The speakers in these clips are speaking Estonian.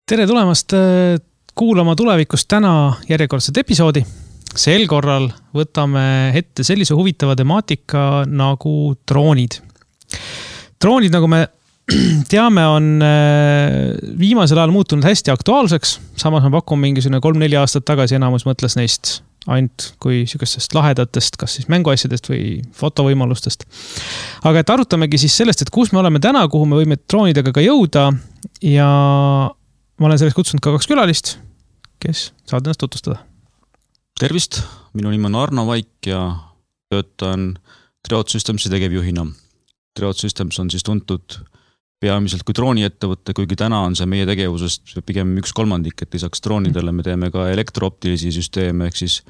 Tere tulemast kuulama tulevikust täna järjekordset episoodi. Sel korral võtame ette sellise huvitava temaatika nagu droonid. Droonid, nagu me teame, on viimasel ajal muutunud hästi aktuaalseks. Samas ma pakun mingisugune 3-4 aastat tagasi enamus mõtles neist ainult kui sükestest lahedatest, kas siis mänguasjadest või fotovõimalustest. Aga et arutamegi siis sellest, et kus me oleme täna, kuhu me võime droonidega ka jõuda ja ma olen sellest kutsunud ka 2 külalist, kes saad ennast tutvustada. Tervist, minu nimi on Arno Vaik ja töötan Triot Systemsi tegevjuhina. Triot Systems on siis tuntud peamiselt kui drooniettevõtte, kuigi täna on see meie tegevusest pigem 1/3, et lisaks droonidele me teeme ka elektrooptilisi süsteeme, ehk siis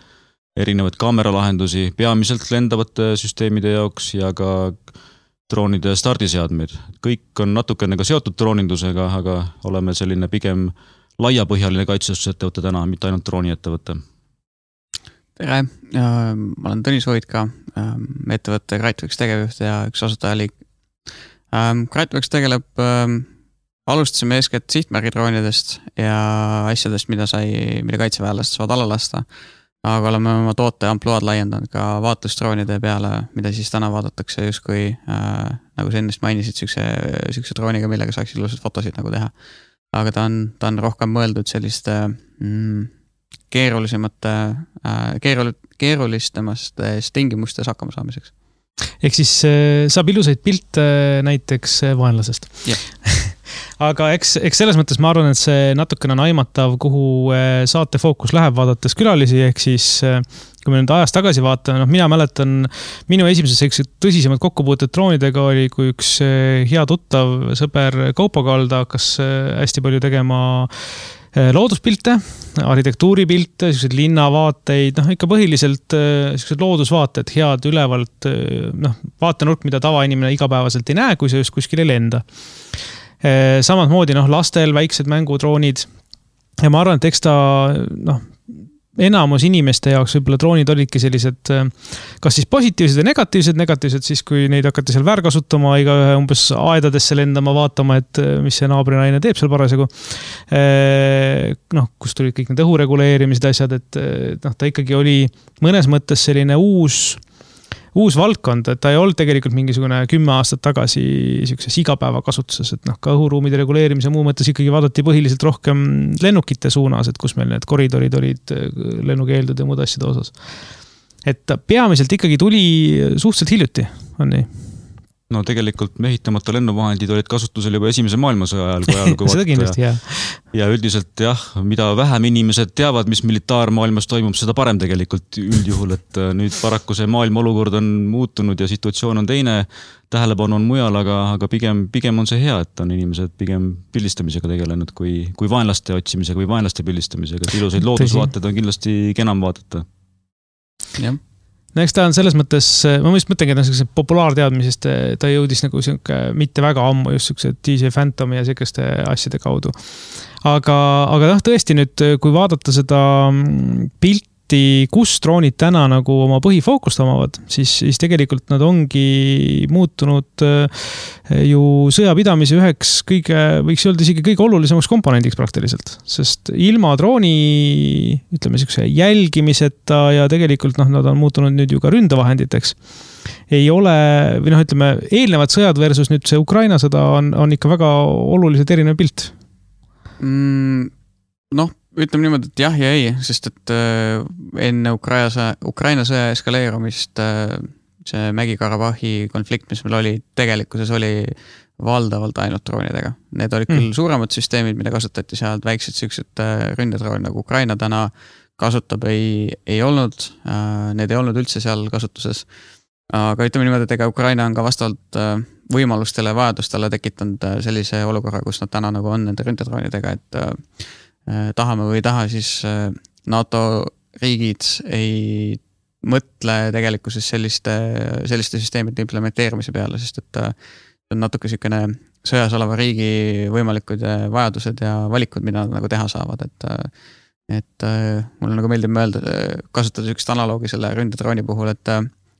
erinevaid kaameralahendusi peamiselt lendavate süsteemide jaoks ja ka droonide stardiseadmeid. Kõik on natukene ka seotud droonindusega, aga oleme selline pigem laiapõhjaline kaitsestusettevõte täna, mitte ainult drooniettevõte. Tere, ma olen Tõnis Voitka, ettevõtte Greatworks tegevjuht ja üks asutajaliik. Greatworks tegeleb, alustasime eeskätt sihtmärgidroonidest ja asjadest, mida kaitseväelased saavad alla lasta. Aga oleme oma toote ampluaad laiendanud ka vaatlusdroonide peale, mida siis täna vaadatakse justkui, nagu sa ennist mainisid, sükse drooniga, millega saaks ilusad fotosid nagu teha. Aga ta on rohkem mõeldud selliste keerulistemast tingimustes hakkama saamiseks. Ehk siis saab ilusaid pilte näiteks vaenlasest. Yeah. Aga eks selles mõttes ma arvan, et see natukene on aimatav, kuhu saate fookus läheb vaadates külalisi, ehk siis kui me nüüd ajast tagasi vaatame, mina mäletan, minu esimesed tõsisemad kokkupuuted droonidega oli, kui üks hea tuttav sõber Kaupo Kalda hakkas hästi palju tegema looduspilte, arhitektuuripilte, linnavaateid, ikka põhiliselt loodusvaated, head ülevalt, vaatenurk, mida tavainimene igapäevaselt ei näe, kui see just kuskil ei lenda. Samad moodi lastel väiksed mängudroonid ja ma arvan, et eks ta enamus inimeste jaoks võib-olla droonid olidki sellised kas siis positiivsed ja negatiivsed siis kui neid hakati seal väärkasutama, igaühe umbes aedadesse lendama, vaatama, et mis see naabrinaine teeb seal parasjagu. Kus tulid kõik need õhureguleerimised asjad, et ta ikkagi oli mõnes mõttes selline uus valdkond, et ta ei olnud tegelikult mingisugune 10 aastat tagasi sellises igapäeva kasutuses, et ka õhuruumide reguleerimise muu mõttes ikkagi vaadati põhiliselt rohkem lennukite suunas, et kus meil need koridorid olid lennukeeldude ja muud asjade osas. Et peamiselt ikkagi tuli suhteliselt hiljuti, on nii? No tegelikult mehitamata lennuvahendid olid kasutusel juba esimese maailmasõja ajal, kui ajalgu seda kindlasti, jah. Ja üldiselt mida vähem inimesed teavad, mis militaarmaailmas toimub, seda parem tegelikult üldjuhul, et nüüd paraku see maailma olukord on muutunud ja situatsioon on teine, tähelepanu on mujal, aga pigem on see hea, et on inimesed pigem pildistamisega tegelenud kui vaenlaste otsimisega või vaenlaste pildistamisega, et ilusaid loodusvaated on kindlasti kenam vaadata. Jah. No eks ta on selles mõttes, ma mõtlengi, et on populaarteadmisest, ta jõudis nagu mitte väga ammu just DJ Phantomi ja selliste asjade kaudu. Aga tõesti nüüd, kui vaadata seda pilti, kus droonid täna nagu oma põhifookust omavad, siis tegelikult nad ongi muutunud ju sõjapidamise üheks võiks öelda isegi kõige olulisemaks komponendiks praktiliselt, sest ilma drooni, ütleme jälgimiseta ja tegelikult nad on muutunud nüüd ju ka ründevahenditeks. Ei ole, või ütleme, eelnevad sõjad versus nüüd see Ukraina sõda on ikka väga oluliselt erinev pilt. Ütleme niimoodi, et jah ja ei, sest et enne Ukraina sõja eskaleerumist see Mägi-Karabahhi konflikt, mis meil oli, tegelikkuses oli valdavalt ainult droonidega. Need olid küll suuremad süsteemid, mida kasutati sealt, väiksed süksed ründedroon, nagu Ukraina täna kasutab, ei olnud. Need ei olnud üldse seal kasutuses. Aga ütleme niimoodi, et ega Ukraina on ka vastavalt võimalustele ja vajadustele tekitanud sellise olukorra, kus nad täna nagu on nende ründedroonidega, et tahame või ei taha, siis NATO riigid ei mõtle tegelikkuses selliste süsteemide implementeerimise peale, sest et on natuke selline sõjas oleva riigi võimalikud vajadused ja valikud, mida nad nagu teha saavad, et mulle nagu meeldib mõelda, kasutada sellist analoogi selle ründedrooni puhul, et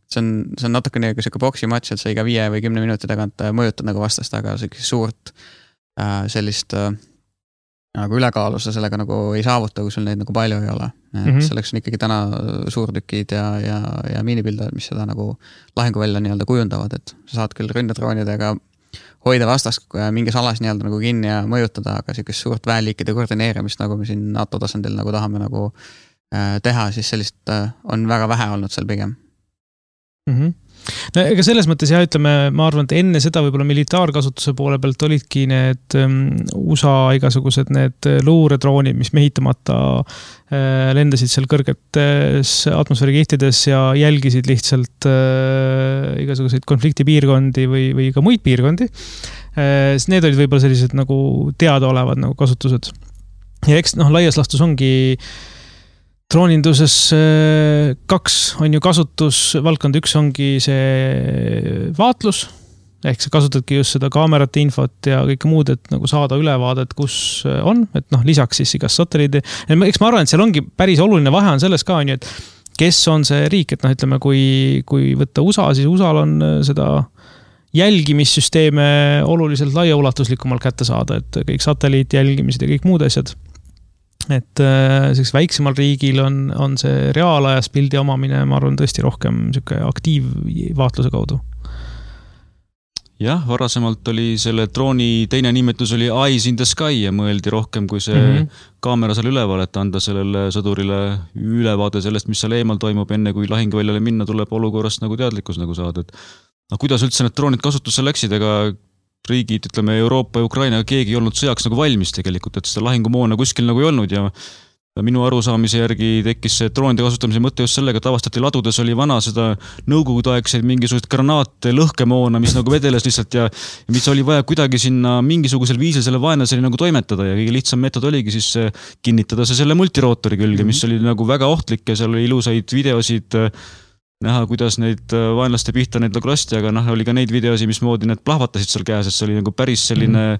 see on natuke nagu selline boksimatš, et sa iga 5 või 10 minuti tagant mõjutad nagu vastast, aga suurt sellist aga ülekaalu sa sellega nagu ei saavuta, kui sul neid nagu palju ei ole. Selleks on ikkagi täna suurtükid ja miinipildajad, mis seda nagu lahinguvälja nii-öelda kujundavad, et sa saad küll ründedroonidega hoida vastast mingis alas nii-öelda nagu kinni ja mõjutada, aga sellist suurt väeliikide koordineerimist, nagu me siin NATO tasandil nagu tahame nagu teha, siis sellist on väga vähe olnud seal pigem. No, ega selles mõttes ja ütleme, ma arvan, et enne seda võib-olla militaarkasutuse poole pealt olidki need USA igasugused need luuredroonid, mis mehitamata lendasid seal kõrgetes atmosfäärikihtides ja jälgisid lihtsalt igasuguseid konfliktipiirkondi või ka muid piirkondi. Need olid võib-olla sellised nagu teadaolevad nagu kasutused. Ja eks laias laastus ongi drooninduses 2 on ju kasutusvaldkond, 1 ongi see vaatlus, ehk sa kasutadki just seda kaamerate infot ja kõike muud, et nagu saada ülevaadet, kus on, et lisaks siis igas satelliidi. Eks ma arvan, et seal ongi päris oluline vahe on selles ka, et kes on see riik, et ütleme, kui võtta USA, siis USAl on seda jälgimissüsteeme oluliselt laiaulatuslikumalt kätte saada, et kõik satelliit jälgimised ja kõik muud asjad. Et selleks väiksemal riigil on see reaalajas pildi omamine, ma arvan, tõesti rohkem aktiivvaatluse kaudu. Jah, varasemalt oli selle drooni teine nimetus oli Eyes in the Sky ja mõeldi rohkem kui see kaamera seal üleval, et anda sellele sõdurile ülevaade sellest, mis seal eemal toimub, enne kui lahinguväljale minna tuleb olukorrast nagu teadlikkus nagu saada. Et kuidas üldse need droonid kasutusse läksid, ega riigid, ütleme Euroopa ja Ukraina, keegi ei olnud sõjaks nagu valmis tegelikult, et seda lahingumoona kuskil nagu ei olnud ja minu arusaamise järgi tekkis see droonide kasutamise mõte just sellega, et avastati ladudes oli vana seda nõukogudeaegseid mingisugust granaate, lõhkemoona, mis nagu vedeles lihtsalt ja mis oli vaja kuidagi sinna mingisugusel viisil selle vaenlaseni nagu toimetada ja kõige lihtsam meetod oligi siis kinnitada see selle multirootori külge, mis oli nagu väga ohtlik ja seal oli ilusaid videosid näha, kuidas neid vaenlaste pihta neid nagu lasti, aga oli ka neid videosi, mismoodi need plahvatasid seal käes, et see oli nagu päris selline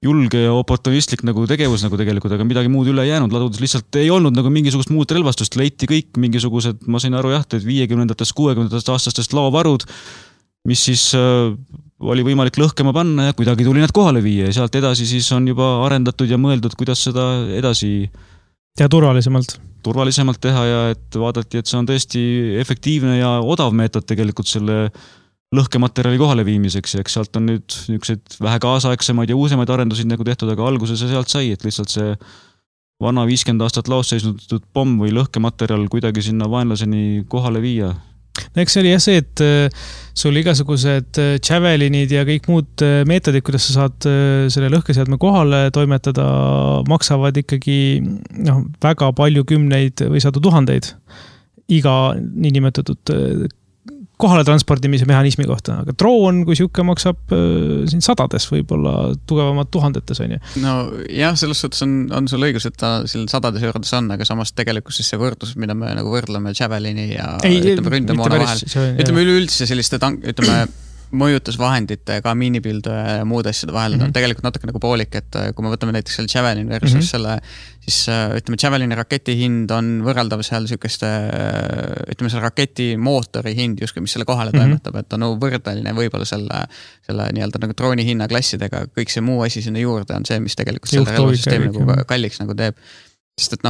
julge ja oportunistlik nagu tegevus nagu tegelikult, aga midagi muud üle jäänud. Ladudes lihtsalt ei olnud nagu mingisugust muud relvastust, leiti kõik mingisugused, ma sain aru jah, et 50-ndatest, 60-ndatest aastastest laovarud, mis siis oli võimalik lõhkema panna ja kuidagi tuli need kohale viia ja sealt edasi siis on juba arendatud ja mõeldud, kuidas seda edasi ja turvalisemalt teha ja et vaadati, et see on tõesti efektiivne ja odav meetod tegelikult selle lõhkematerjali kohale viimiseks ja eks sealt on nüüd niisugused vähe kaasaegsemaid ja uusemaid arendusid nagu tehtud, aga alguses see sealt sai, et lihtsalt see vana 50 aastat laos seisnud pomm või lõhkematerjal kuidagi sinna vaenlaseni kohale viia. Eks see oli jah see, et sul igasugused Javelinid ja kõik muud meetodid, kuidas sa saad selle lõhkeseadme kohale toimetada, maksavad ikkagi väga palju kümneid või sadu tuhandeid iga niinimetatud kohale transpordimise mehhanismi kohta, aga droon, kui siuke maksab siin sadades, võib-olla tugevamad tuhandetes on ju. No jah, selles suhtes on sul õigus, et ta seal sadades eurodes on, aga samas tegelikult siis see võrdlus, mida me nagu võrdleme Javelini ja ründemoona vahel. Ütleme üleüldse selliste mõjutusvahendite, ka miinipildu ja muud asjade vahel on tegelikult natuke nagu poolik, et kui me võtame näiteks selle Javelin versus selle, siis ütleme Javelini raketi hind on võrreldav seal sükeste, ütleme selle raketi mootori hind justkui, mis selle kohale toimetab, et on võrdeline võib-olla selle nii-öelda nagu drooni hinnaklassidega, kõik see muu asi sinna juurde on see, mis tegelikult selle relvasüsteemi nagu kalliks nagu teeb. Sest et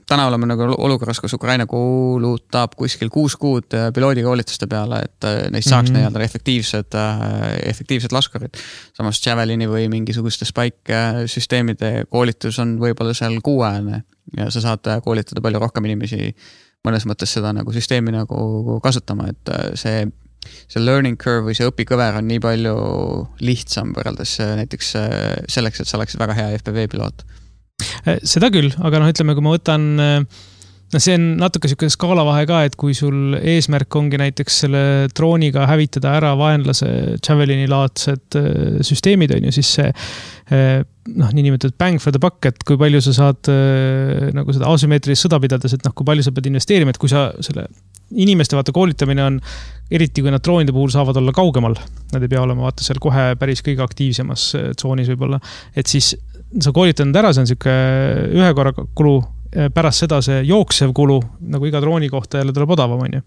täna oleme nagu olukorras, kus Ukraina kuulutab kuskil 6 kuud piloodikoolituste peale, et neist saaks nii-öelda efektiivsed laskurid. Samas Javelini või mingisuguste Spike-süsteemide koolitus on võib-olla seal 6 ja sa saad koolitada palju rohkem inimesi mõnes mõttes seda nagu süsteemi nagu kasutama, et see learning curve või see õpikõver on nii palju lihtsam võrreldes näiteks selleks, et sa oleksid väga hea FPV-piloot. Seda küll, aga ütleme, kui ma võtan, see on natuke selline skaalavahe ka, et kui sul eesmärk ongi näiteks selle drooniga hävitada ära vaenlase Javelini laadsed süsteemid on ju, siis see niinimetatud bang for the buck, et kui palju sa saad nagu seda asümmeetrilist sõda pidades, et kui palju sa pead investeerima, et kui sa selle inimeste vaata koolitamine on, eriti kui nad droonide puhul saavad olla kaugemal, nad ei pea olema vaata seal kohe päris kõige aktiivsemas tsoonis võib-olla, et siis sa koolitanud ära, see on siuke ühe korra kulu, pärast seda see jooksev kulu, nagu iga drooni kohta jälle tuleb odavam, on ju.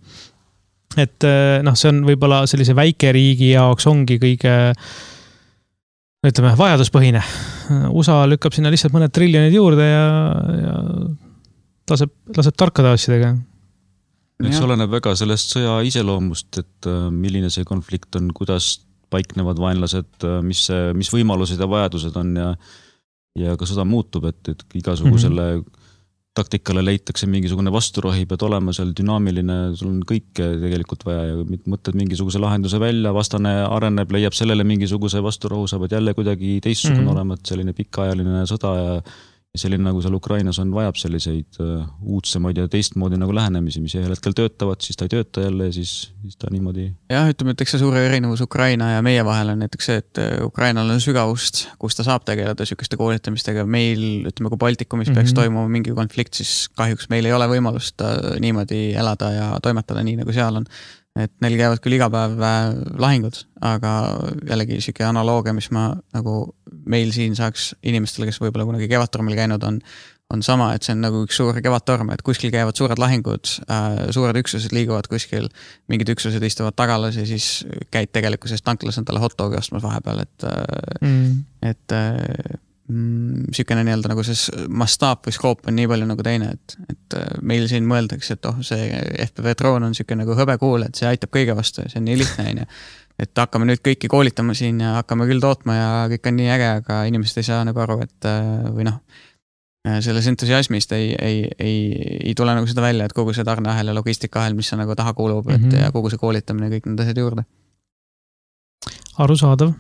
Et see on võib-olla sellise väikeriigi jaoks ongi kõige ütleme, vajaduspõhine. USA lükkab sinna lihtsalt mõned triljonid juurde ja laseb tarkade asjadega. Eks oleneb väga sellest sõja iseloomust, et milline see konflikt on, kuidas paiknevad vaenlased, mis võimalused ja vajadused on ja ka sõda muutub, et igasugusele taktikale leitakse mingisugune vasturohi, pead olema seal dünaamiline, sul on kõike tegelikult vaja ja mõtled mingisuguse lahenduse välja, vastane areneb, leiab sellele mingisuguse vasturohu, sa pead jälle kuidagi teistsugune olema, et selline pikaajaline sõda ja selline nagu seal Ukrainas on, vajab selliseid uudsemaid ja teistmoodi nagu lähenemisi, mis ühel hetkel töötavad, siis ta ei tööta jälle ja siis ta niimoodi. Jah, ütleme, et eks see suure erinevus Ukraina ja meie vahel on näiteks see, et Ukrainal on sügavust, kus ta saab tegeleda sükeste koolitamistega. Meil, ütleme, kui Baltikumis peaks toimuma mingi konflikt, siis kahjuks meil ei ole võimalust niimoodi elada ja toimetada nii, nagu seal on. Et neil käivad küll iga päev lahingud, aga jällegi siuke analoogia, mis ma nagu meil siin saaks inimestele, kes võib-olla kunagi kevadtormil käinud on sama, et see on nagu üks suur kevadtorm, et kuskil käivad suured lahingud, suured üksused liiguvad kuskil, mingid üksused istuvad tagalas ja siis käid tegelikkuses tanklas endale hotdogi ostmas vahepeal, et sükene nii-öelda nagu see mastaap või skoop on nii palju nagu teine, et meil siin mõeldakse, et see FPV droon on süke nagu hõbekuul, et see aitab kõige vastu ja see on nii lihtne, et hakkame nüüd kõiki koolitama siin ja hakkame küll tootma ja kõik on nii äge, aga inimesed ei saa nagu aru, et või selles entusiasmist ei tule nagu seda välja, et kogu see tarneahel ja logistikaahel, mis on nagu taha kuulub, ja kogu see koolitamine ja kõik need asjad juurde. Arusaadav.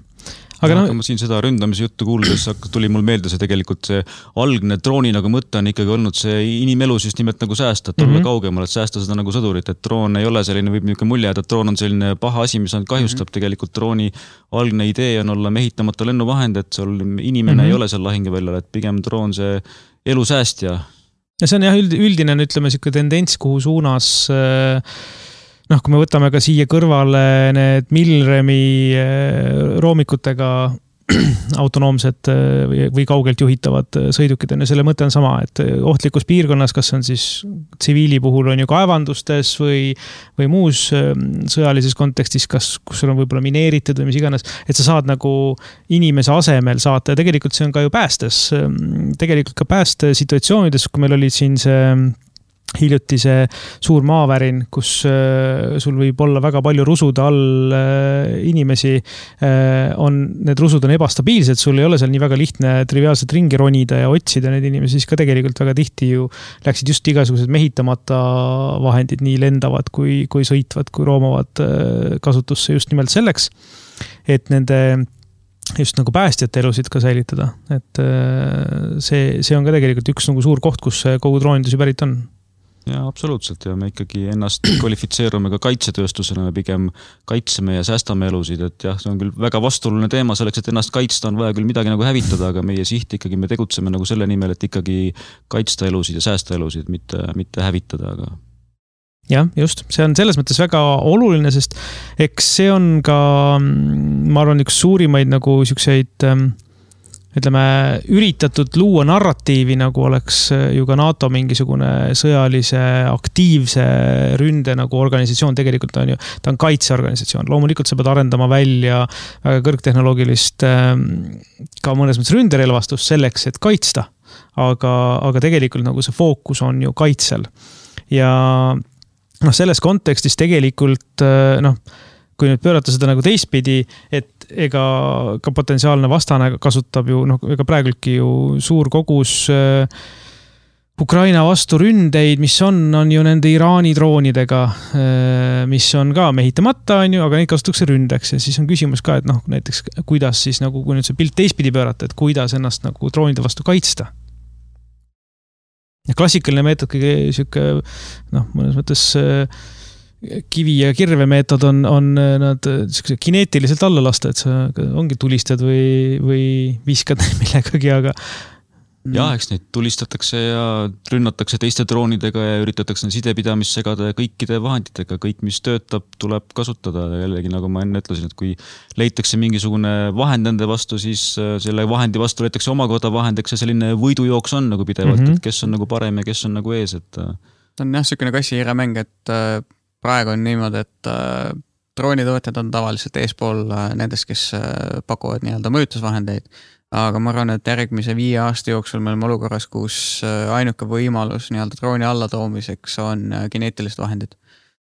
Aga ma siin seda ründamise juttu kuuldes tuli mul meelde see tegelikult see algne drooni nagu mõte on ikkagi olnud see inimelus just nimelt nagu säästa, et olla kaugemal, et säästa seda nagu sõdurit, et droon ei ole selline, võib niisugune mulje, et droon on selline paha asi, mis on kahjustab tegelikult drooni algne idee on olla mehitamata lennuvahend, et sul inimene ei ole seal lahinguväljal, et pigem droon see elusäästja. Ja see on jah üldine, ütleme, siuke tendents, kuhu suunas kui me võtame ka siia kõrvale need Milremi roomikutega autonoomsed või kaugelt juhitavad sõidukid on ja selle mõte on sama, et ohtlikus piirkonnas, kas on siis tsiviili puhul on ju kaevandustes või muus sõjalises kontekstis, kus sul on võib-olla mineeritud või mis iganes, et sa saad nagu inimese asemel saata ja tegelikult see on ka ju päästes. Tegelikult ka pääste situatsioonides, kui meil oli siin see hiljuti see suur maavärin, kus sul võib olla väga palju rusude all inimesi, need rusud on ebastabiilsed, sul ei ole seal nii väga lihtne triviaalselt ringi ronida ja otsida neid inimesi, siis ka tegelikult väga tihti ju läksid just igasugused mehitamata vahendid, nii lendavad kui sõitvad, kui roomavad kasutusse just nimelt selleks, et nende just nagu päästjate elusid ka säilitada. Et see on ka tegelikult üks nagu suur koht, kus kogu droonindus ju pärit on. Ja absoluutselt ja me ikkagi ennast kvalifitseerume ka kaitsetööstusena, me pigem kaitseme ja säästame elusid, et jah, see on küll väga vastuoluline teema selleks, et ennast kaitsta on vaja küll midagi nagu hävitada, aga meie siht ikkagi me tegutseme nagu selle nimel, et ikkagi kaitsta elusid ja säästa elusid, mitte hävitada, aga jah, just, see on selles mõttes väga oluline, sest eks see on ka, ma arvan, üks suurimaid nagu siukseid ütleme, üritatud luua narratiivi, nagu oleks ju ka NATO mingisugune sõjalise aktiivse ründe nagu organisatsioon, tegelikult on ju, ta on kaitseorganisatsioon. Loomulikult sa pead arendama välja väga kõrgtehnoloogilist ka mõnes mõttes ründerelvastust selleks, et kaitsta, aga tegelikult nagu see fookus on ju kaitsel. Ja selles kontekstis tegelikult kui nüüd pöörata seda nagu teistpidi, et ega ka potentsiaalne vastane kasutab ju, ega praegultki ju suur kogus Ukraina vastu ründeid, mis on ju nende Iraani droonidega, mis on ka mehitamata, on ju, aga neid kasutatakse ründeks ja siis on küsimus ka, et näiteks kuidas siis nagu, kui nüüd see pilt teistpidi pöörata, et kuidas ennast nagu droonide vastu kaitsta. Ja klassikaline meetod kõige siuke, mõnes mõttes kivi ja kirve meetod on nad kineetiliselt alla lasta, et sa ongi tulistad või viskad millegagi, aga jah, eks neid tulistatakse ja rünnatakse teiste droonidega ja üritatakse sidepidamist segada ja kõikide vahenditega, kõik mis töötab, tuleb kasutada ja jällegi nagu ma enne ütlesin, et kui leitakse mingisugune vahend nende vastu, siis selle vahendi vastu leitakse omakorda vahend, eks see selline võidujooks on nagu pidevalt, et kes on nagu parem ja kes on nagu ees, et see on jah, selline kassi-hiire mäng, et praegu on niimoodi, et droonitootjad on tavaliselt eespool nendest, kes pakuvad nii-öelda mõjutusvahendeid, aga ma arvan, et järgmise 5 aasta jooksul me oleme olukorras, kus ainuke võimalus nii-öelda drooni allatoomiseks on kineetilised vahendid.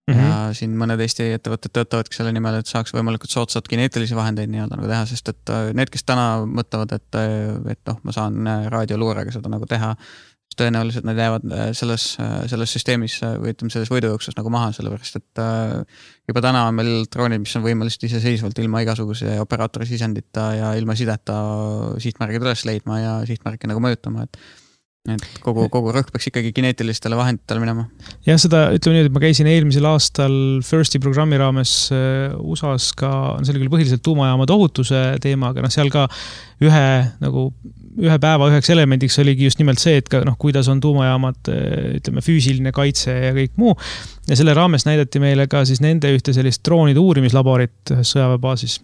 Ja siin mõned Eesti ettevõtted töötavadki selle nimel, et saaks võimalikult soodsad kineetilisi vahendeid nii-öelda nagu teha, sest et need, kes täna mõtlevad, et ma saan raadioluurega seda nagu teha, tõenäoliselt nad jäävad selles süsteemis või ütleme selles võidujooksus nagu maha, sellepärast et juba täna on meil droonid, mis on võimelised iseseisvalt ilma igasuguse operaatori sisendita ja ilma sideta sihtmärgid üles leidma ja sihtmärke nagu mõjutama, et kogu rõhk peaks ikkagi kineetilistele vahenditele minema. Ja seda, ütleme nii, et ma käisin eelmisel aastal FIRST-i programmi raames USA-s ka, see oli küll põhiliselt tuumajaamade ohutuse teema, aga seal ka ühe päeva üheks elemendiks oligi just nimelt see, et ka, kuidas on tuumajaamad, ütleme, füüsiline kaitse ja kõik muu. Ja selle raames näidati meile ka siis nende ühte sellist droonide uurimislaborit sõjaväebaasis.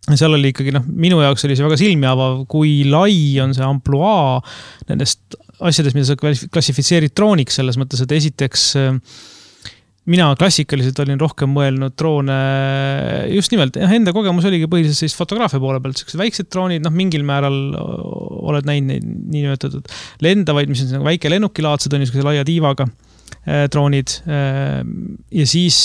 Seal oli ikkagi, minu jaoks oli see väga silmiavav, kui lai on see ampluaa nendest asjadest, mida sa klassifitseerid drooniks selles mõttes, et esiteks mina klassikaliselt olin rohkem mõelnud droone just nimelt, enda kogemus oligi põhiliselt sellist fotograafia poole pealt, sellised väiksed droonid, mingil määral oled näinud neid niinimetatud lendavaid, mis on väike lennukilaadsed, on niisuguse laia tiivaga droonid ja siis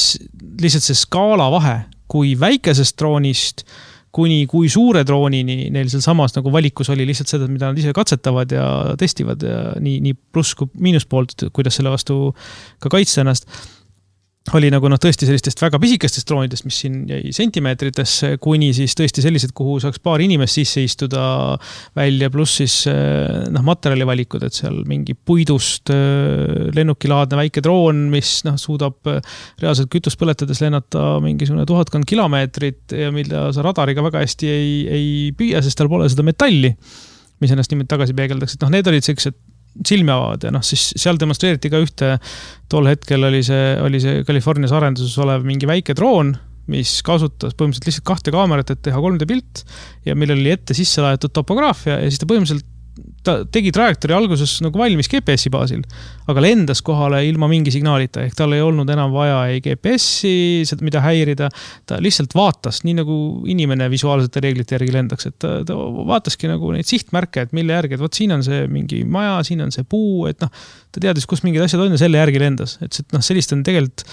lihtsalt see skaala vahe, kui väikesest droonist kuni kui suure droonini neil seal samas nagu valikus oli lihtsalt seda, mida nad ise katsetavad ja testivad ja nii pluss kui miinuspoolt, kuidas selle vastu ka kaitsta ennast. Oli nagu tõesti sellistest väga pisikestest droonidest, mis siin jäi sentimeetritesse, kuni siis tõesti sellised, kuhu saaks paar inimest sisse istuda välja, pluss siis materjali valikud, et seal mingi puidust lennukilaadne väike droon, mis suudab reaalselt kütust põletades lennata mingisugune 1000 kilomeetrit ja mida sa radariga väga hästi ei püüa, sest tal pole seda metalli, mis ennast niimoodi tagasi peegeldaks. Et need olid sellised silmiavad ja siis seal demonstreeriti ka ühte, tol hetkel oli see Californias arenduses olev mingi väike droon, mis kasutas põhimõtteliselt lihtsalt 2 kaamerat, et teha 3D pilt ja millel oli ette sisse laetud topograafia ja siis ta põhimõtteliselt tegi trajektoori alguses nagu valmis GPS-i baasil, aga lendas kohale ilma mingi signaalita, ehk tal ei olnud enam vaja ei GPS-i, mida häirida, ta lihtsalt vaatas, nii nagu inimene visuaalsete reeglite järgi lendaks, et ta vaataski nagu neid sihtmärke, et mille järgi, et võt siin on see mingi maja, siin on see puu, et ta teadis, kus mingid asjad on ja selle järgi lendas, et sellist on tegelikult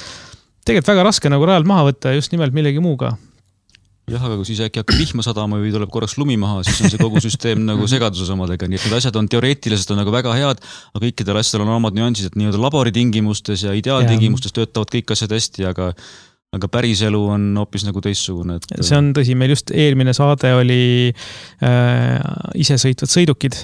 väga raske nagu rajalt maha võtta just nimelt millegi muuga. Jah, aga kui siis äkki hakkab vihma sadama või tuleb korraks lumi maha, siis on see kogu süsteem nagu segaduses omadega. Nii et need asjad on teoreetiliselt on nagu väga head, aga kõikidel asjadel on omad nüansid, et nii-öelda laboritingimustes ja ideaaltingimustes töötavad kõik asjad hästi, aga päris elu on hoopis nagu teissugune. See on tõsi, meil just eelmine saade oli isesõitvad sõidukid.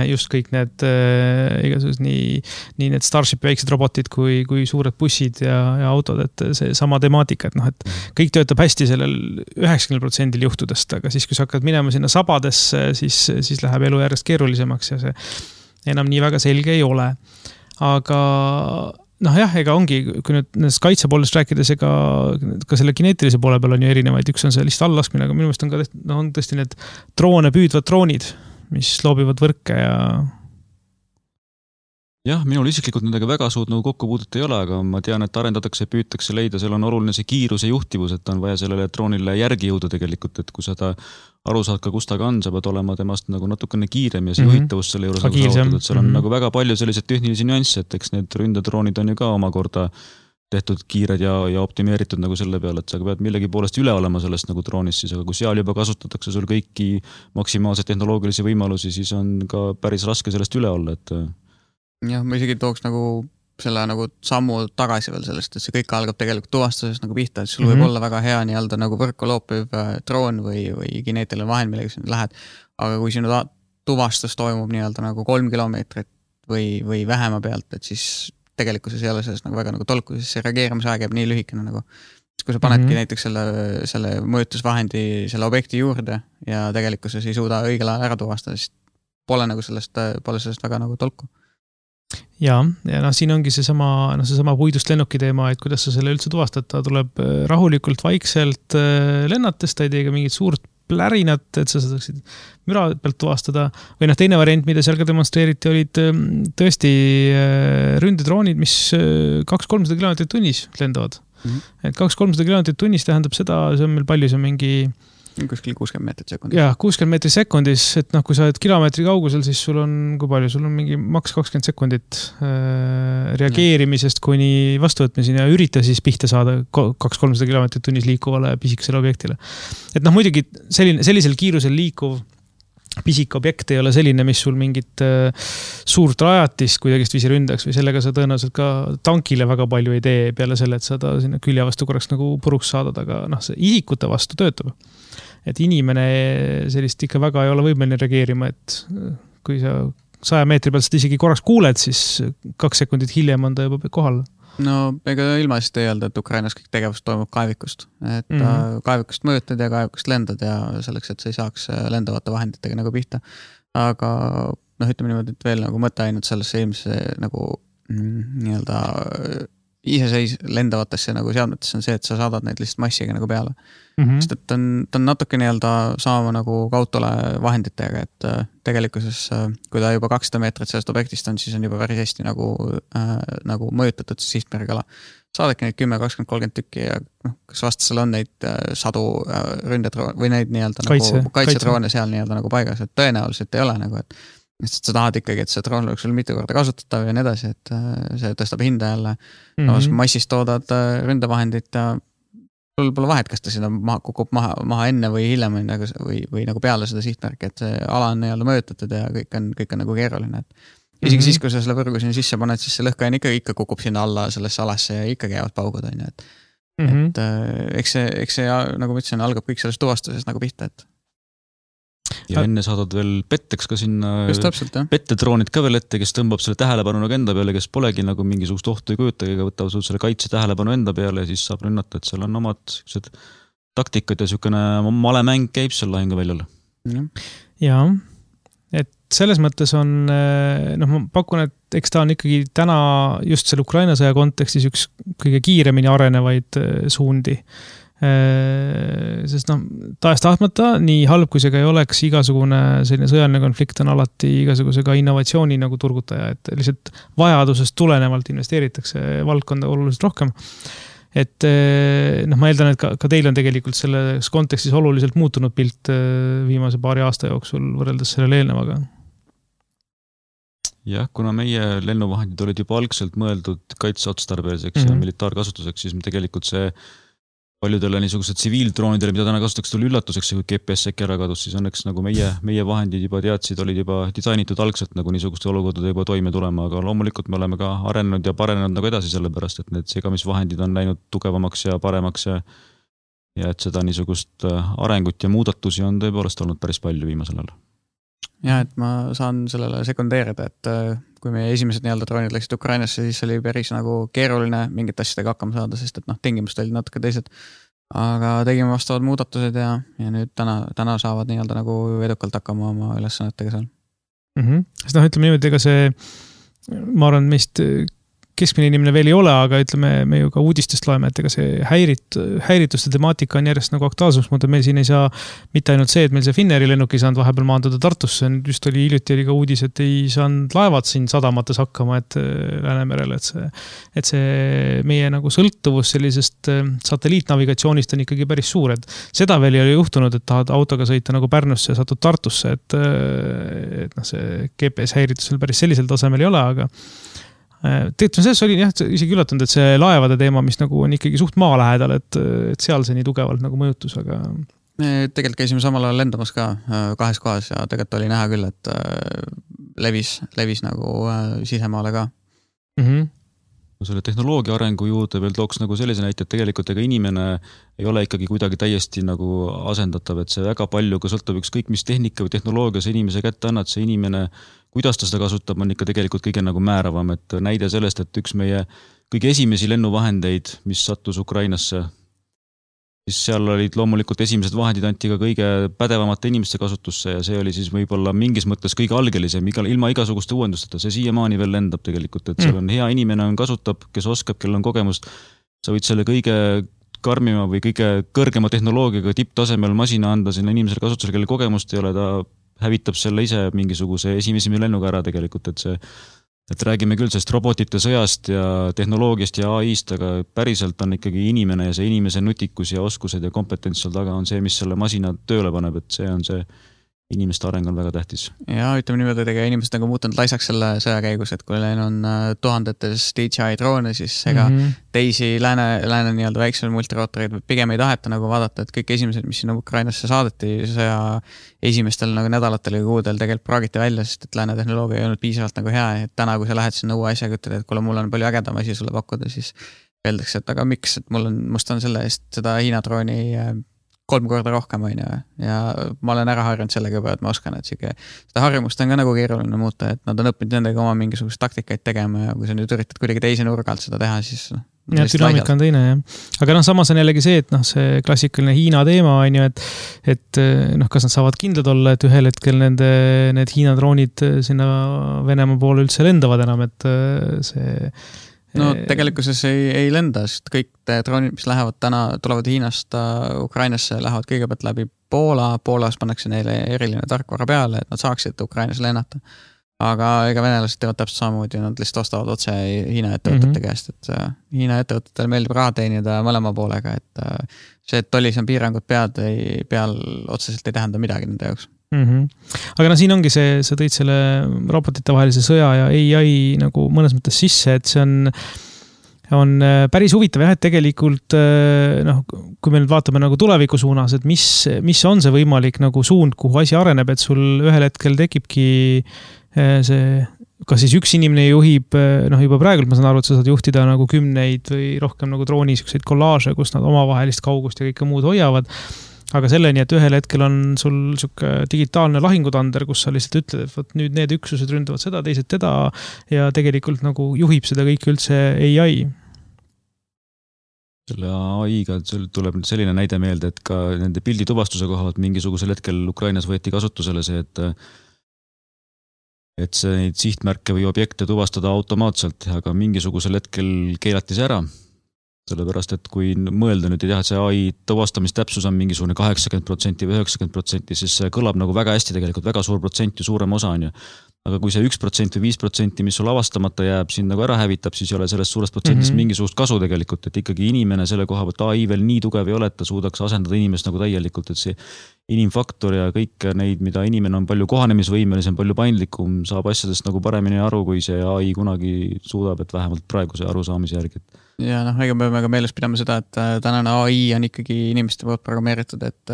Just kõik need igasugused nii need Starship väiksed robotid kui suured bussid ja autod, et see sama temaatika, et kõik töötab hästi sellel 90% juhtudest, aga siis, kui sa hakkad minema sinna sabadesse, siis läheb elu järjest keerulisemaks ja see enam nii väga selge ei ole. Aga ega ongi, kui nüüd nendest kaitsepoolest rääkides, ega ka selle kineetilise poole peal on ju erinevaid, üks on see lihtsalt allaskmine, aga minu meelest on ka on tõesti need droone püüdvad droonid, mis loobivad võrke ja... Jah, minul isiklikult nendega väga suud nagu kokkupuudet ei ole, aga ma tean, et arendatakse ja püütakse leida, seal on oluline see kiiruse juhtivus, et on vaja sellele droonile järgi jõuda tegelikult, et kui seda aru saad ka, kus ta on, sa pead olema temast nagu natukene kiirem ja see juhitavus selle juures nagu saavutatud, et seal on nagu väga palju selliseid tehnilisi nüansse, et eks need ründedroonid on ju ka omakorda tehtud kiired ja optimeeritud nagu selle peale, et sa pead millegi poolest üle olema sellest nagu droonist, siis aga kui seal juba kasutatakse sul kõiki maksimaalseid tehnoloogilisi võimalusi, siis on ka päris raske sellest üle olla, et... Jah, ma isegi tooks nagu selle nagu sammu tagasi veel sellest, et see kõik algab tegelikult tuvastusest nagu pihta, et sul võib olla väga hea nii-öelda nagu võrku loopiv droon või kineetiline vahend, millega sa lähed, aga kui sinu tuvastus toimub nii-öelda nagu 3 kilomeetrit või vähema pealt, et siis tegelikkuses ei ole sellest nagu väga nagu tolku, siis see reageerimisaeg jääb nii lühikene nagu. Kui sa panedki näiteks selle mõjutusvahendi selle objekti juurde ja tegelikkuses ei suuda õigel ajal ära tuvastada, siis pole sellest väga nagu tolku. Ja siin ongi seesama puidust lennuki teema, et kuidas sa selle üldse tuvastad, ta tuleb rahulikult, vaikselt lennates, ta ei tee ka mingit suurt plärinat, et sa saaksid müra pealt tuvastada. Või teine variant, mida seal ka demonstreeriti, olid tõesti ründedroonid, mis 200-300 kilomeetrit tunnis lendavad. Et 200-300 kilomeetrit tunnis tähendab seda, see on meil palju, see on mingi kuskil 60 meetrit sekundis. Jah, 60 meetrit sekundis, et noh, kui sa oled kilomeetri kaugusel, siis sul on, kui palju, sul on mingi maks 20 sekundit reageerimisest kuni vastuvõtmiseni ja ürita siis pihta saada 200-300 kilomeetrit tunnis liikuvale pisikesele objektile. Et noh, muidugi sellisel kiirusel liikuv pisik objekt ei ole selline, mis sul mingit suurt rajatist kuidagist viisi ründaks või sellega sa tõenäoliselt ka tankile väga palju ei tee peale selle, et sa ta sinna külje vastu korraks nagu puruks saadad, aga noh, see isikute vastu töötab. Et inimene sellist ikka väga ei ole võimeline reageerima, et kui sa 100 meetri pealt seda isegi korraks kuuled, siis 2 sekundit hiljem on ta juba kohal. No ega ilmaselt ei öelda, et Ukrainas kõik tegevus toimub kaevikust. Et kaevikust mõõtad ja kaevikust lendad ja selleks, et sa ei saaks lendavate vahenditega nagu pihta. Aga noh, ütleme niimoodi, et veel nagu mõte ainult sellesse ilmse nagu nii-öelda iseseis lendavatesse nagu seadmetesse on see, et sa saadad neid lihtsalt massiga nagu peale. Sest et ta on natuke nii-öelda sama nagu kautole vahenditega, et tegelikkuses, kui ta juba 200 meetrit sellest objektist on, siis on juba päris hästi nagu mõjutatud sihtmärgala. Saadake neid 10, 20, 30 tükki ja kas vastasel on neid sadu ründedroone või neid nii-öelda nagu kaitsedroone seal nii-öelda nagu paigas, et tõenäoliselt ei ole nagu, et sa tahad ikkagi, et see droon oleks sul mitu korda kasutatav ja nii edasi, et see tõstab hinda jälle. Massist toodad ründevahendit ja sul pole vahet, kas ta sinna kukub maha enne või hiljem või nagu peale seda sihtmärki, et see ala on nii-öelda mõjutatud ja kõik on nagu keeruline. Isegi siis, kui sa selle võrgu sinna sisse paned, siis see lõhkajan ikka kukub sinna alla sellesse alasse ja ikka käivad paugud. Et eks see, nagu ma ütlesin, algab kõik sellest tuvastusest nagu pihta, et ja enne saadad veel petteks ka sinna pettetroonid ka veel ette, kes tõmbab selle tähelepanu nagu enda peale, kes polegi nagu mingisugust ohtu ei kujutagi, aga võtab sul selle kaitse tähelepanu enda peale ja siis saab rünnata, et seal on omad taktikad ja niisugune malemäng käib seal lahinguväljal. Jaa, et selles mõttes on, noh, ma pakun, et eks ta on ikkagi täna just selle Ukraina sõja kontekstis üks kõige kiiremini arenevaid suundi. Sest noh, tahes tahtmata, nii halb kui see ka ei oleks, igasugune selline sõjaline konflikt on alati igasuguse ka innovatsiooni nagu turgutaja, et lihtsalt vajadusest tulenevalt investeeritakse valdkonda oluliselt rohkem. Et noh, ma eeldan, et ka teil on tegelikult selles kontekstis oluliselt muutunud pilt viimase paari aasta jooksul võrreldes sellele eelnevaga. Jah, kuna meie lennuvahendid olid juba algselt mõeldud kaitseotstarbeliseks ja militaarkasutuseks, siis tegelikult see paljudele niisugused tsiviildroonidele, mida täna kasutatakse, tuli üllatuseks, kui GPS äkki ära kadus, siis õnneks nagu meie vahendid juba teadsid, olid juba disainitud algselt nagu niisuguste olukordade juba toime tulema, aga loomulikult me oleme ka arenenud ja parenenud nagu edasi sellepärast, et need segamisvahendid on läinud tugevamaks ja paremaks ja et seda niisugust arengut ja muudatusi on tõepoolest olnud päris palju viimasel ajal. Ja, et ma saan sellele sekundeerida, et kui meie esimesed nii-öelda droonid läksid Ukrainasse, siis oli päris nagu keeruline mingit asjadega hakkama saada, sest et noh, tingimused olid natuke teised. Aga tegime vastavad muudatused ja nüüd täna saavad nii-öelda nagu edukalt hakkama oma ülesannetega seal. Sest noh, ütleme niimoodi, ega see, ma arvan, meist keskmine inimene veel ei ole, aga ütleme, me ju ka uudistest loeme, et ega see häirituste temaatika on järjest nagu aktuaalsus, mõtled, meil siin ei saa mitte ainult see, et meil see Finneri lennuk ei saanud vahepeal maandada Tartusse, just hiljuti oli ka uudis, et ei saanud laevad siin sadamates hakkama, et Läänemerel, et see meie nagu sõltuvus sellisest satelliitnavigatsioonist on ikkagi päris suur, et seda veel ei ole juhtunud, et tahad autoga sõita nagu Pärnusse ja satud Tartusse, et noh, see GPS häiritusel päris sellisel tasemel ei ole, aga tegelikult selles oli jah, isegi üllatunud, et see laevade teema, mis nagu on ikkagi suht maa lähedal, et seal see nii tugevalt nagu mõjutus, aga me tegelikult käisime samal ajal lendamas ka 2 kohas ja tegelikult oli näha küll, et levis nagu sisemaale ka. Selle tehnoloogia arengu juurde veel tooks nagu sellise näite, et tegelikult ega inimene ei ole ikkagi kuidagi täiesti nagu asendatav, et see väga palju ka sõltub ükskõik mis tehnika või tehnoloogia see inimese kätte annad, see inimene, kuidas ta seda kasutab, on ikka tegelikult kõige nagu määravam, et näide sellest, et üks meie kõige esimesi lennuvahendeid, mis sattus Ukrainasse, siis seal olid loomulikult esimesed vahendid anti ka kõige pädevamate inimeste kasutusse ja see oli siis võib-olla mingis mõttes kõige algelisem, ilma igasuguste uuendusteta, see siiamaani veel lendab tegelikult, et seal on hea inimene on kasutab, kes oskab, kellel on kogemust, sa võid selle kõige karmima või kõige kõrgema tehnoloogiaga tipptasemel masina anda sinna inimesele kasutusele, kelle kogemust ei ole, ta hävitab selle ise mingisuguse esimese lennuga ära tegelikult, et see et räägime küll sellest robotite sõjast ja tehnoloogiast ja AI-st, aga päriselt on ikkagi inimene ja see inimese nutikus ja oskused ja kompetents seal taga on see, mis selle masina tööle paneb, et see on see inimeste areng on väga tähtis. Ja ütleme niimoodi, et inimesed on muutunud laisaks selle sõja käigus, et kui neil on tuhandetes DJI droone, siis ega teisi lääne nii-öelda väiksemaid multirootoreid pigem ei taheta nagu vaadata, et kõik esimesed, mis sinna Ukrainasse saadeti sõja esimestel nagu nädalatel ja kuudel tegelikult praagiti välja, sest et lääne tehnoloogia ei olnud piisavalt nagu hea, et täna, kui sa lähed sinna uue asjaga, ütled, et kuule, mul on palju ägedam asi sulle pakkuda, siis öeldakse, et aga miks, et must on selle eest seda Hiina drooni 3 korda rohkem on ja ma olen ära harjunud sellega juba, et ma oskan, et seda harjumust on ka nagu keeruline muuta, et nad on õppinud nendega oma mingisugust taktikaid tegema ja kui sa nüüd üritad kuidagi teise nurga alt seda teha, siis ja dünaamika on teine, jah. Aga samas on jällegi see, et see klassikaline Hiina teema on ju, et kas nad saavad kindlad olla, et ühel hetkel need Hiina droonid sinna Venemaa poole üldse lendavad enam, et see no tegelikkuses ei lenda, sest kõik droonid, mis tulevad Hiinast Ukrainasse, lähevad kõigepealt läbi Poolas pannakse neile eriline tarkvara peale, et nad saaksid Ukrainas lennata. Aga ega venelased teevad täpselt samamoodi, nad lihtsalt ostavad otse Hiina ettevõtete käest, et Hiina ettevõtetele meeldib raha teenida mõlema poolega, et see, et tollis on piirangud peal otseselt ei tähenda midagi nende jaoks. Aga siin ongi sa tõid selle robotite vahelise sõja ja AI nagu mõnes mõttes sisse, et see on päris huvitav jah, et tegelikult kui me nüüd vaatame nagu tuleviku suunas, et mis on see võimalik nagu suund, kuhu asi areneb, et sul ühel hetkel tekibki see, kas siis üks inimene juhib, juba praegu ma saan aru, et sa saad juhtida nagu 10 või rohkem nagu drooni selliseid kollaaže, kus nad omavahelist kaugust ja kõike muud hoiavad. Aga selleni, et ühel hetkel on sul siuke digitaalne lahingutander, kus sa lihtsalt ütled, et võt, nüüd need üksused ründavad seda, teised teda ja tegelikult nagu juhib seda kõike üldse AI. Selle AI-ga tuleb selline näide meelde, et ka nende pildituvastuse kohalt mingisugusel hetkel Ukrainas võeti kasutusele see, et see neid sihtmärke või objekte tuvastada automaatselt, aga mingisugusel hetkel keelati see ära. Sellepärast, et kui mõelda nüüd ja teha, et see AI tuvastamistäpsus on mingisugune 80% või 90%, siis see kõlab nagu väga hästi tegelikult, väga suur protsent ja suurem osa on ju. Aga kui see 1% või 5%, mis sul avastamata jääb, siin nagu ära hävitab, siis ei ole sellest suurest protsendist mingisugust kasu tegelikult, et ikkagi inimene selle koha pealt AI veel nii tugev ei ole, et ta suudaks asendada inimest nagu täielikult, et see inimfaktor ja kõik neid, mida inimene on palju kohanemisvõimelisem, palju paindlikum, saab asjadest nagu paremini aru, kui see AI kunagi suudab, et vähemalt praeguse arusaamise järgi. Ja ega me peame ka meeles pidama seda, et tänane AI on ikkagi inimeste poolt programmeeritud, et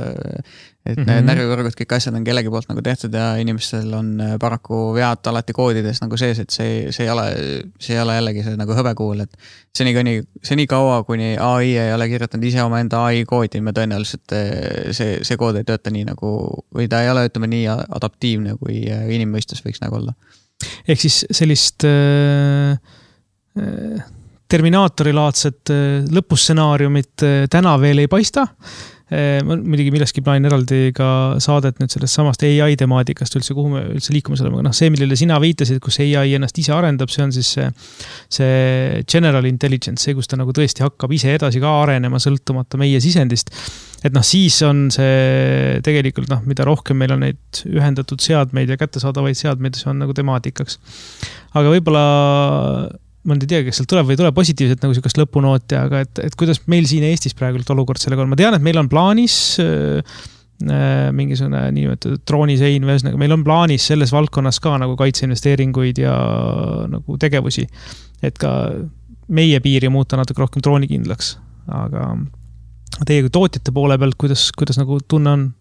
närvivõrgud, kõik asjad on kellegi poolt nagu tehtud ja inimestel on paraku vead alati koodides nagu sees, et see ei ole jällegi see nagu hõbekuul, et seni kaua, kuni AI ei ole kirjutanud ise oma enda AI koodi, me tõenäoliselt see kood ei tööta nii nagu, või ta ei ole, ütleme nii adaptiivne, kui inimmõistus võiks nagu olla. Ehk siis sellist Terminaatorilaadset lõpustsenaariumit täna veel ei paista. Muidugi millestki plaanin eraldi ka saadet nüüd sellest samast AI temaatikast üldse, kuhu me üldse liikume oleme. See, millele sina viitasid, kus AI ennast ise arendab, see on siis see general intelligence, see, kus ta nagu tõesti hakkab ise edasi ka arenema sõltumata meie sisendist. Et siis on see tegelikult, mida rohkem meil on neid ühendatud seadmeid ja kättesaadavaid seadmeid, see on nagu temaatikaks. Aga võib-olla ma ei tea, kas sealt tuleb või ei tule positiivselt nagu sellist lõpunooti, aga et kuidas meil siin Eestis praegu olukord sellega on. Ma tean, et meil on plaanis mingisugune niimoodi droonisein, meil on plaanis selles valdkonnas ka nagu kaitseinvesteeringuid ja nagu tegevusi, et ka meie piiri muuta natuke rohkem droonikindlaks. Aga teie kui tootjate poole pealt, kuidas nagu tunne on?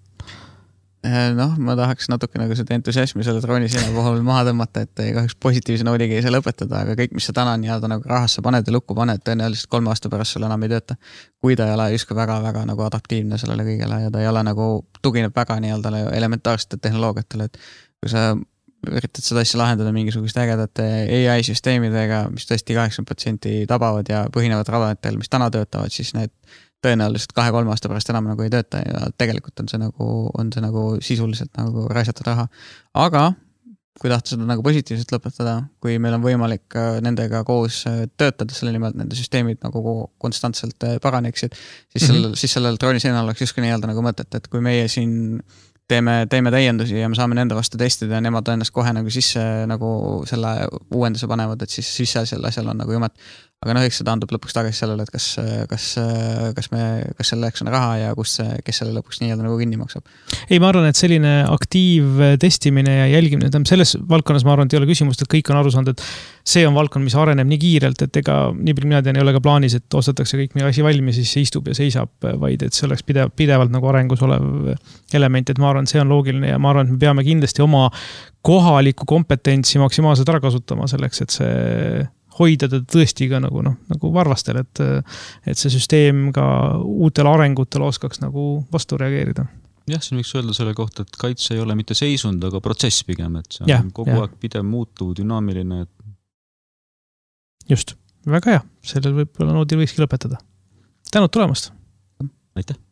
Ma tahaks natuke nagu seda entusiasmi selle drooniseina puhul maha tõmmata, et kahjuks positiivse noodiga ei saa lõpetada, aga kõik, mis sa täna nii-öelda nagu rahasse paned ja lukku paned, tõenäoliselt 3 aasta pärast sul enam ei tööta. Kui ta ei ole justkui väga-väga nagu adaptiivne sellele kõigele ja ta ei ole nagu tugineb väga nii-öelda elementaarsete tehnoloogiatele, et kui sa üritad seda asja lahendada mingisugust ägedate AI-süsteemidega, mis tõesti 80% tabavad ja põhinevad radaritel, mis täna töötavad, siis need tõenäoliselt 2-3 aasta pärast enam nagu ei tööta ja tegelikult on see nagu sisuliselt nagu raisatud raha. Aga kui tahta seda nagu positiivselt lõpetada, kui meil on võimalik nendega koos töötada selle nimelt, nende süsteemid nagu konstantselt paraneksid, siis sellel drooniseinal oleks justkui nii-öelda nagu mõtet, et kui meie siin teeme täiendusi ja me saame nende vastu testida ja nemad ennast kohe nagu sisse nagu selle uuenduse panevad, et siis selle asjal on nagu jumet. Aga eks see taandub lõpuks tagasi sellele, et kas selleks on raha ja kes selle lõpuks nii nagu kinni maksab. Ei, ma arvan, et selline aktiivtestimine ja jälgimine, selles valdkonnas ma arvan, et ei ole küsimust, et kõik on aru saanud, et see on valdkond, mis areneb nii kiirelt, et ega nii palju mina tean, ei ole ka plaanis, et ostetakse kõik meie asi valmis, siis see istub ja seisab, vaid et see oleks pidevalt nagu arengus olev element, et ma arvan, see on loogiline ja ma arvan, et me peame kindlasti oma kohaliku kompetentsi maksimaalselt ära kasutama selleks, et see hoida teda tõesti ka nagu varvastel, et see süsteem ka uutel arengutel oskaks nagu vastu reageerida. Jah, siin võiks öelda selle kohta, et kaitse ei ole mitte seisund, aga protsess pigem, et see on kogu aeg pidev muutuv, dünaamiline. Just, väga hea. Sellel võib-olla noodil võikski lõpetada. Tänud tulemast! Aitäh!